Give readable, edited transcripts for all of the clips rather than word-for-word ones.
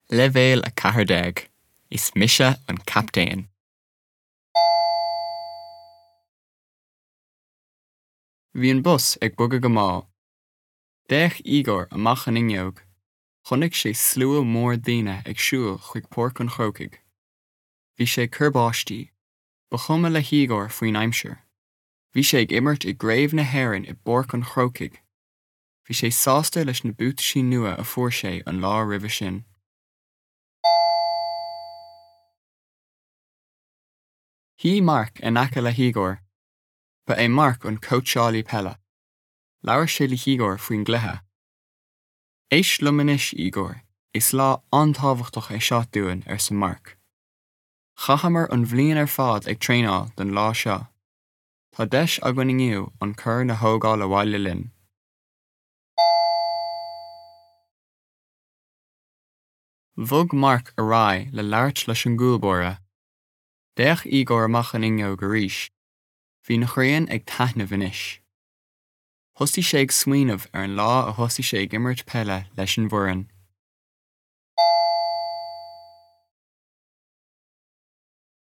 Leibhéal 14, Is mise an captaen. Bhí an bus ag bogadh go mall. D'fhéach Igor amach an fhuinneog. Chonaic sé slua mór daoine ag siúl chuig Páirc an Chrócaigh. Bhí sé ag cur báistí. Ba chuma le hIgor faoin aimsir. Bhí sé ag imirt i gCraobh na hÉireann i bPáirc an Chrócaigh. Bhí sé sásta leis na buataisí nua a fuair sé an lá roimhe sin. Shuigh Mark in aice le hIgor. Ba é Mark an cóitseálaí peile. Labhair sé le hIgor faoin gcluiche. Éist liom anois, Igor, is lá an-tábhachtach é seo dúinn, arsa Mark. Chaitheamar an bhliain ar fad ag traenáil don lá seo. Tá deis againn inniu an corn a thógáil abhaile linn. Bhog Mark ar aghaidh le labhairt leis an gcúlbáire. D'fhéach Igor amach an fhuinneog arís. Bhí an ghrian ag taitneamh anois. Thosaigh sé ag smaoineamh ar an lá a thosaigh sé ag imirt peile leis an bhfoireann.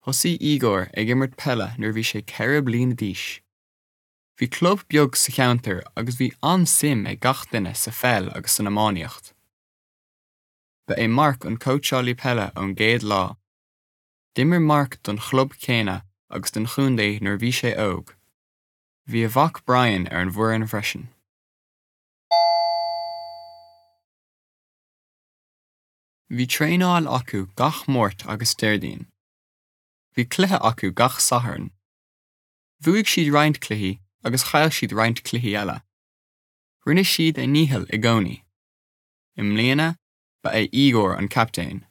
Thosaigh Igor ag imirt peile nuair a bhí sé 4 bliana d'aois. Bhí club beag sa cheantar agus bhí an-suim ag gach duine sa pheil agus san iománaíocht. Ba é Mark an cóitseálaí peile ón gcéad lá. D'imir Mark don chlub céanna agus don chontae nuair a bhí sé óg. Bhí a mhac Brian ar an bhfoireann freisin. Bhí traenáil acu gach Máirt agus Déardaoin. Bhí cluiche acu gach Satharn. Bhuaigh siad roinnt cluichí agus chaill siad roinnt cluichí eile. Rinne siad a ndícheall i gcónaí. I mbliana, ba é Igor an captaen.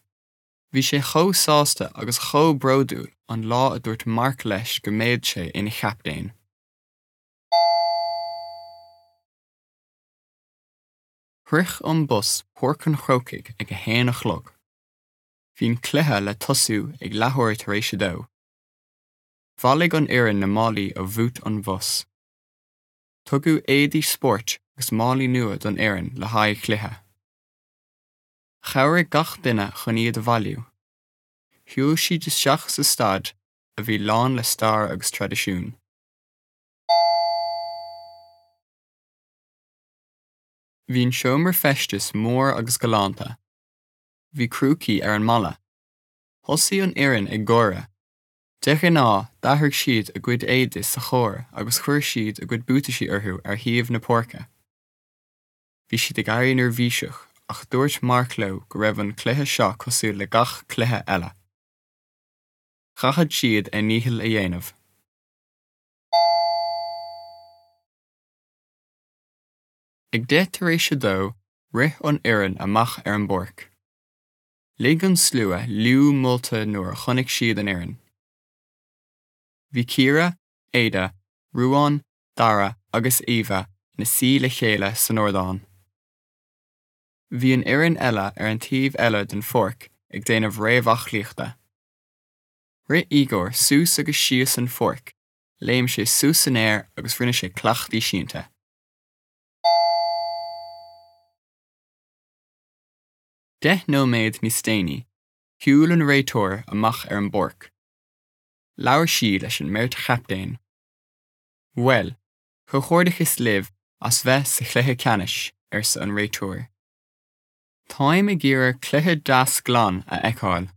Bhí sé chomh sásta agus chomh bródúil an lá a dúirt Mark leis go mbeadh sé ina chaptaen. Shroich an bus Páirc an Chrócaigh ag a haon a chlog. Bhí an cluiche le tosú ag leathuair tar éis a dó. Bhailigh an fhoireann na málaí ó bhúit an bhus. Tugadh éadaí spóirt agus málaí nua don fhoireann le haghaidh an chluiche. Chabhraigh gach duine chun iad a bhailiú. Shiúil siad isteach sa staid a bhí lán le stair agus traidisiún. Bhí an seomra feistis mór agus galánta. Bhí crúcaí ar an mballa. Thosaigh an fhoireann ag gáire. De ghnáth, d'athraigh siad a gcuid éadaí sa charr agus chuir siad a gcuid buataisí orthu ar thaobh na páirce. Bhí siad ag éirí neirbhíseach ach dúirt Mark leo go raibh an cluiche seo cosúil le gach cluiche eile. Chaithfeadh siad a ndícheall a dhéanamh. Ag 2:10 rith an fhoireann amach ar an bpáirc. Lig an slua liú molta nuair a chonaic siad an fhoireann. Bhí Ciara, Ada, Ruán, Dara agus Eva ina suí le chéile san ardán. Bhí an fhoireann eile ar an taobh eile den pháirc ag déanamh réamhaclaíochta. Rith Igor suas agus síos an pháirc, léim sé suas san aer agus rinne sé cleachtaí sínte. 10 nóiméad níos déanaí, shiúil an réiteoir amach ar an bpáirc. Labhair sí leis an mbeirt chaptaen. Bhuel, comhghairdeachas libh as bheith sa chluiche ceannais, arsa an réiteoir. Táim ag iarraidh cluiche deas glan a fheiceáil.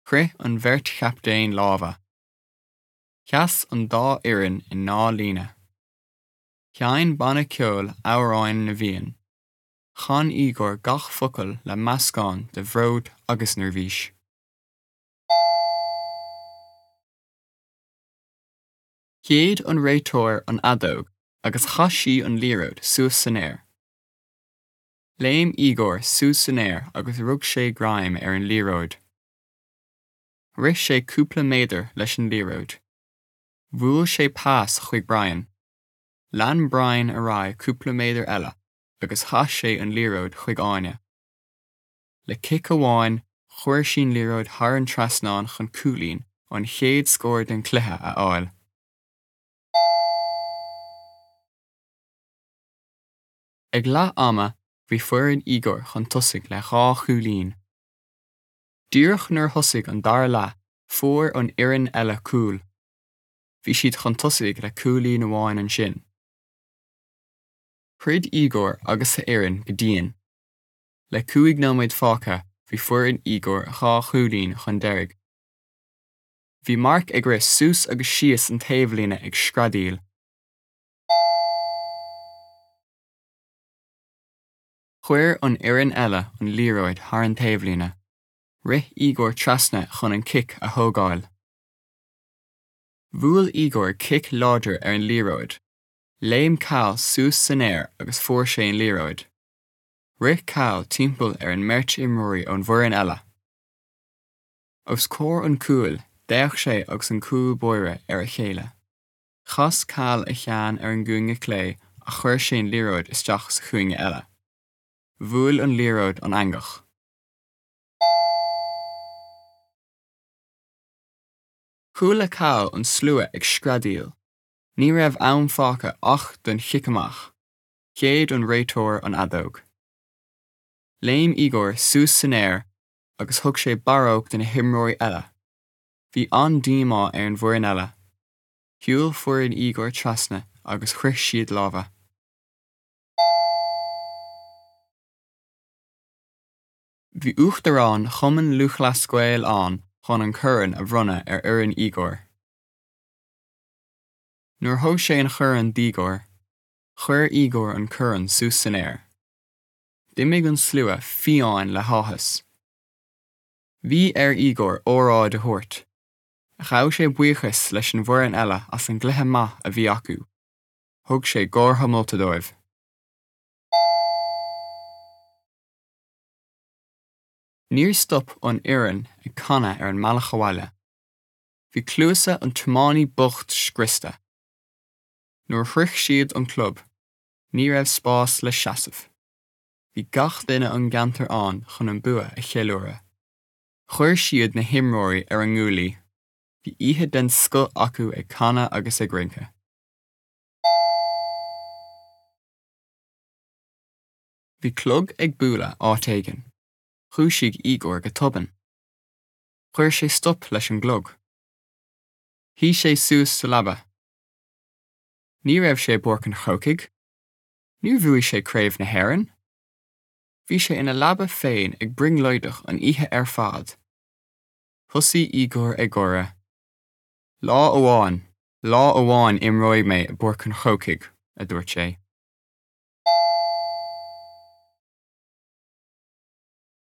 Chroith an bheirt chaptaen lámha. Sheas an dá fhoireann i ndá líne. Sheinn banna ceoil Amhráin na bhFiann. Chan Igor gach focal le meascán de bhród agus neirbhís. Shéid an réiteoir an fheadóg agus chaith sí an liathróid suas san aer. Léim Igor suas san aer agus rug sé greim ar an liathróid. Rith sé cúpla méadar leis an liathróid. Bhuail sé pas chuig Brian. Lean Brian ar aghaidh cúpla méadar eile agus chaith sé an liathróid chuig Áine. Le cic amháin, chuir sí an liathróid thar an trasnán chun cúilín, an chéad scór den chluiche, a fháil. Ag leath ama, bhí foireann Igor chun tosaigh le dhá chúilín. Díreach nuair a thosaigh an dara leath fuair an fhoireann eile cúl. Bhí siad chun tosaigh le cúilín amháin ansin. Throid Igor agus a fhoireann go dian. Le 5 nóiméad fágtha bhí foireann Igor 2 chúilín chun deiridh. Bhí Mark ag rith suas agus síos an taobhlíne ag screadaíl. Chuir an fhoireann eile an liathróid thar an taobhlíne. Rith Igor trasna chun an cic a thógáil. Bhuail Igor cic láidir ar an liathróid. Léim Cal suas san aer agus fuair sé an liathróid. Rith Cal timpeall ar an mbeirt imreoirí ón bhfoireann eile. Os comhair an chúil, d'fhéach sé agus an cúl báire ar a chéile. Chas Cal a cheann ar an gcúinne clé ach chuir sé an liathróid isteach sa chúinne eile. Bhuail an liathróid an eangach. Chuala Cal an slua ag screadaíl. Ní raibh am fágtha ach don chic amach. Shéid an réiteoir an fheadóg. Léim Igor suas san aer agus thug sé barróg do na himreoirí eile. Bhí an-díomá ar an bhfoireann eile. Shiúil foireann Igor trasna agus chroith siad lámha. Bhí Uachtarán Chumann Lúthchleas Gael ann chun an corn a bhronnadh ar fhoireann Igor. Nuair a thug sé an chorn d'Igor, chuir Igor an corn suas san aer. D'imigh an slua fiáin le háthas. Bhí ar Igor óráid a thabhairt. Ghabh sé buíochas leis an bhfoireann eile as an gcluiche maith a bhí acu. Thug sé gártha molta dóibh. Níor stop an fhoireann ag canadh ar an mbealach abhaile. Bhí cluasa an tiománaí bocht scriosta. Nuair a shroich siad an club, ní raibh spás le seasamh. Bhí gach duine ón gceantar ann chun an bua a cheiliúradh. Chuir siad na himreoirí ar a nguaillí. Bhí oíche den scoth acu ag canadh agus ag rince. Bhí clog ag bualadh áit éigin. Dhúisigh Igor go tobann. Chuir sé stop leis an gclog. Shuigh sé suas sa leaba. Ní raibh sé i bPáirc an Chrócaigh. Níor bhuaigh sé Craobh na hÉireann. Bhí sé ina leaba féin ag brionglóideach an oíche ar fad. Thosaigh Igor ag gáire. Lá amháin, lá amháin imreoidh mé i bPáirc an Chrócaigh, a dúirt sé.